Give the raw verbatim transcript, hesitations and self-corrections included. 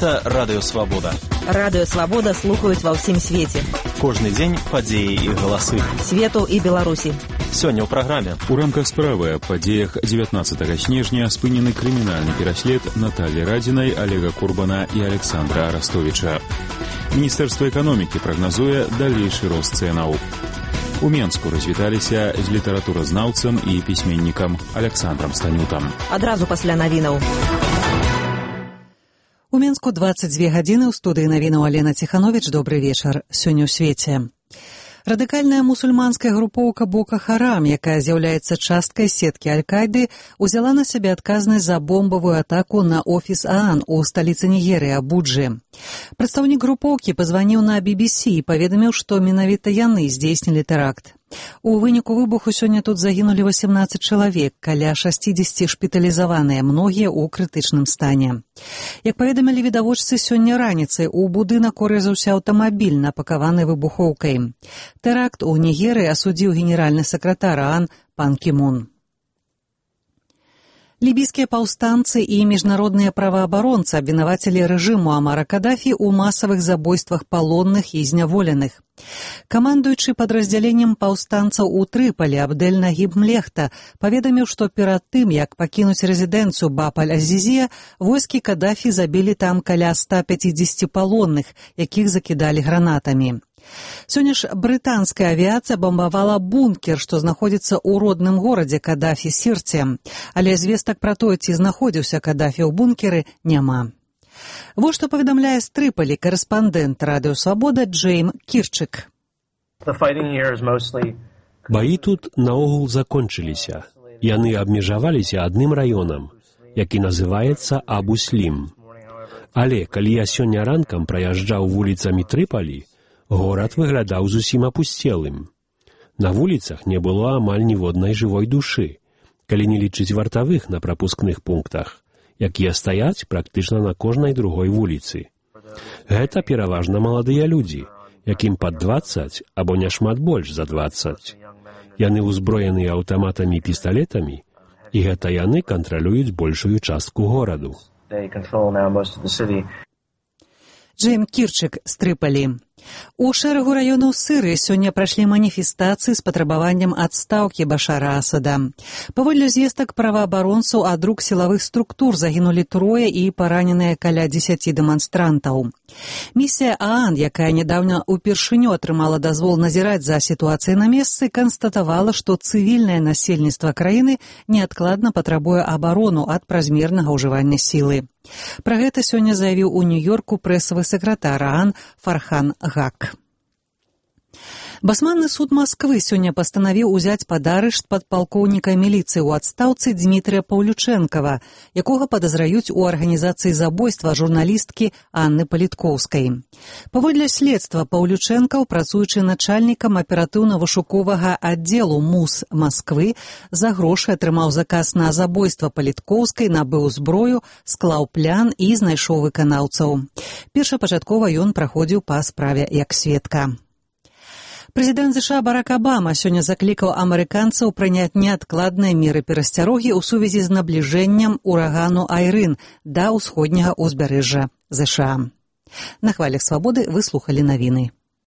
Гэта Радыё Свабода. Радыё Свабода слухаюць ва ўсім свеце. Кожны дзень падзеі і галасы. Свету і Беларусі. Сёння ў праграме. У рамках справы аб падзеях дзевятнаццатага снежня спынены крымінальны пераслед Наталі Радзінай, Олега Курбана і Александра Арастовіча. Міністэрства эканомікі прагназуе далейшы рост цэнаў. У Менску развіталіся з літаратуразнаўцам і пісьменнікам Александрам Станютам. Адразу пасля навінаў. У Менску дваццаць дзве гадзіны, ў студыі навінаў Алена Ціхановіч. Добры вечар. Сёння ў свеце. Радыкальная мусульманская групоўка Бока Харам, якая з'яўляецца часткай сеткі Аль-Кайды, узяла на сябе адказнасць за бомбавую атаку на офіс ААН у сталіцы Нігерыі Абуджы. Прадстаўнік групоўкі пазваніў на би би сі і паведаміў, што менавіта яны здзейснілі тэракт. У выніку выбуху сёння тут загінулі васемнаццаць чалавек, каля шасцідзесяці шпіталізаваныя, многія ў крытычным стане. Як паведамілі відавочцы, сёння раніцай у будынак урэзаўся аўтамабіль, напакаваны выбухоўкай. Тэракт у Нігерыі асудзіў генеральны сакратар ААН пан Кімун. Лібійскія паўстанцы і міжнародныя праваабаронцы абвінавацілі рэжыму Амара Кадафі ў масавых забойствах палонных і зняволеных. Камандуючы падраздзяленнем паўстанцаў у Трыполі Абдель Нагіб Млехта паведаміў, што перад тым, як пакінуць рэзідэнцыю Баб-аль-Азізія, войскі Кадафі забілі там каля ста пяцідзесяці палонных, якіх закідалі гранатамі. Сёння ж брытанская авіяцыя бамбавала бункер, што знаходзіцца ў родным горадзе Кадафі Сірце, але звестак пра тое, ці знаходзіўся Кадафі ў бункеры, няма. Вось што паведамляе з Трыполі карэспандэнт Радыё Свабода Джейм Кірчык. Баі тут наогул закончыліся. Яны абмежаваліся адным раёнам, які называецца Абу-Слім. Але калі я сёння ранкам праязджаў вуліцамі Трыполі, горад выглядаў зусім апусцелым. На вуліцах не было амаль ніводнай жывой душы, калі не лічыць вартавых на прапускных пунктах, якія стаяць практычна на кожнай другой вуліцы. Гэта пераважна маладыя людзі, якім пад дваццаць або няшмат больш за дваццаць. Яны ўзброеныя аўтаматамі і пісталетамі, і гэта яны кантралююць большую частку гораду. Джейм Кірчык з Трыполі. У шэрагу раёнаў Сырыі сёння прайшлі маніфестацыі з патрабаваннем адстаўкі Башара Асада. Паводле звестак праваабаронцаў, ад рук сілавых структур загінулі трое і параненыя каля дзесяці дэманстрантаў. Місія ААН, якая нядаўна ўпершыню атрымала дазвол назіраць за сітуацыяй на месцы, канстатавала, што цывільнае насельніцтва краіны неадкладна патрабуе абарону ад празмернага ўжывання сілы. Пра гэта сёння заявіў у Нью-Йорку прэсавы сакратар ААН Фархан Гак. Басманны суд Масквы сёння пастанавіў узяць пад арышт падпалкоўніка міліцыі ў адстаўцы Дмітрыя Паўлючэнкава, якога падазраюць у арганізацыі забойства журналісткі Анны Паліткоўскай. Паводле следства, Паўлючэнкаў, працуючы начальнікам аператыўна-вышуковага аддзелу МУС Масквы, за грошы атрымаў заказ на забойства Паліткоўскай, набыў зброю, склаў плян і знайшоў выканаўцаў. Першапачаткова ён праходзіў па справе як сведка. Прэзідэнт ЗША Барак Абама сёння заклікаў амерыканцаў прыняць неадкладныя меры перасцярогі ў сувязі з набліжэннем урагану Айрын да ўсходняга ўзбярэжжа ЗША. На хвалях Свабоды вы слухалі навіны.